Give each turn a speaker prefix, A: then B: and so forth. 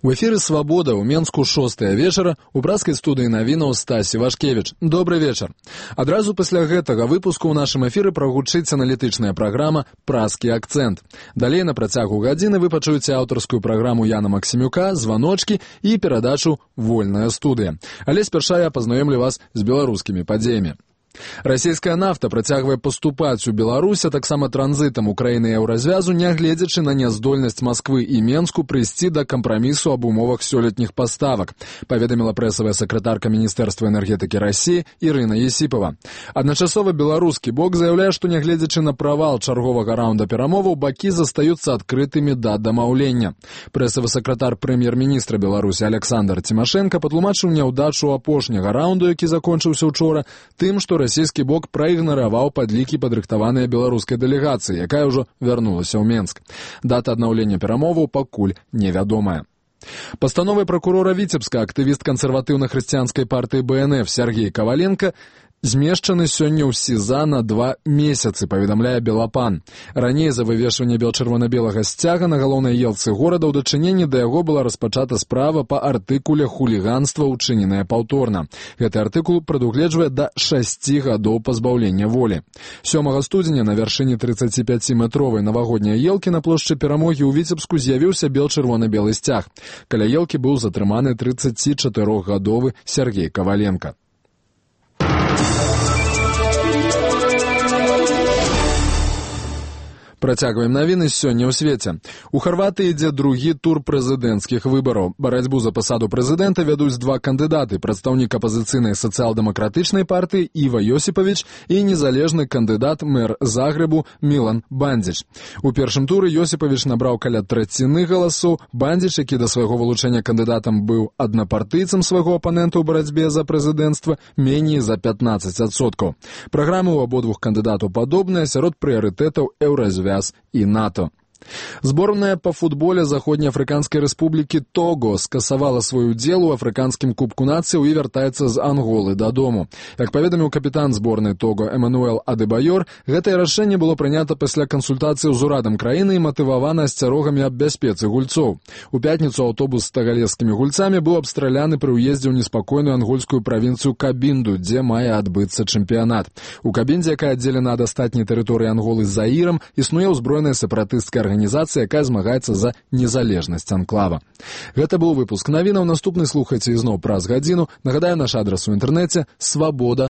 A: У эфіры «Свабода» ў Менску 6 вечара у брацкай студыі навінаў Стасі Вашкевіч. Добры вечар. Адразу пасля гэтага выпуску ў нашым эфіры прагучыць аналітычная праграма «Праскі акцэнт». Далей на працягу гадзіны вы пачуеце аўтарскую праграму Яна Максімюка, званочкі і перадачу «Вольная студыя». Але спярша я пазнаёмлю вас з беларускімі падзеямі. Расійская нафта працягвае паступаць у Беларусь, а таксама транзітам Украіны і Еўразвязу, нягледзячы на няздольнасць Масквы і Менску прыйсці да кампрамісу аб умовах сёлетніх паставак, паведаміла прэсавая сакратарка Міністэрства энергетыкі Расіі Ірына Есіпова. Адначасова беларускі бок заяўляе, што нягледзячы на правал чарговага раунда перамоваў, бакі застаюцца адкрытымі да дамаўлення. Прэсавы сакратар прэм'ер-міністра Беларусі Александр Цімашэнка патлумачыў няўдачу апошняга раунду, які закончыўся учора, тым, што расійскі бок праігнараваў падлікі падрыхтаваныя беларускай дэлегацыі, якая ўжо вярнулася ў Менск. Дата аднаўлення перамоваў пакуль невядомая. Пастановай пракурора Віцебска актывіст кансерватыўна-хрысціянскай партыі БНФ Сергей Коваленко змешчаны сёння ў СІЗА на 2 месяцы, паведамляе Белапан. Раней за вывешванне бел-чырвона-белага сцяга на галоўнай елцы горада ў дачыненні да яго была распачата справа па артыкуле хуліганства, учыненае паўторна. Гэты артыкул прадугледжвае да 6 гадоў пазбаўлення волі. 7 студзеня на вяршыні 35-метровай навагодняй елкі на плошчы Перамогі ў Віцебску з'явіўся бел-чырвона-белы сцяг. Каля елкі быў затрыманы 34-гадовы Сергей Коваленко. Працягваем навіны сёння ў свеце. У Харватыі ідзе другі тур прэзідэнцкіх выбараў. Барацьбу за пасаду прэзідэнта вядуць 2 кандыдаты: прадстаўнік апазіцыйнай сацыял-дэмакратычнай партыі Іва Йосіпавіч і незалежны кандыдат мэр Загрэбу Мілан Бандзіч. У першым туры Йосіпавіч набраў каля траціны галасоў. Бандзіч, які да свайго вылучэння кандыдатам быў аднапартыйцам свайго апанента ў барацьбе за прэзідэнцтва, меней за 15%. Праграмы ў абодвух кандыдатаў падобныя, сярод прыярытэтаў Еўразвяз і НАТО. Зборная па футболе Заходнеафрыканскай рэспублікі Того скасавала свой удзел у афрыканскім кубку нацыяў і вяртаецца з Анголы дадому. Як паведаміў капітан зборнай Того Эмануэл Адэбаёр, гэтае рашэнне было прынята пасля кансультацыяў з урадам краіны і матывавана асцярогамі аб бяспецы гульцоў. У пятніцу аўтобус з тагалескімі гульцамі быў абстраляны пры ўездзе ў неспакойную ангольскую правінцыю Кабінду, дзе мае адбыцца чэмпіянат. У Кабіндзе, якая аддзелена ад астатняй тэрыторыі Анголы з Заірам, існуе ўзброеная сепаратысцкая арганізацыя, якая змагаецца за незалежнасць анклава. Гэта быў выпуск навінаў. Наступны слухайце ізноў праз гадзіну. Нагадаю, наш адрас у інтэрнэце —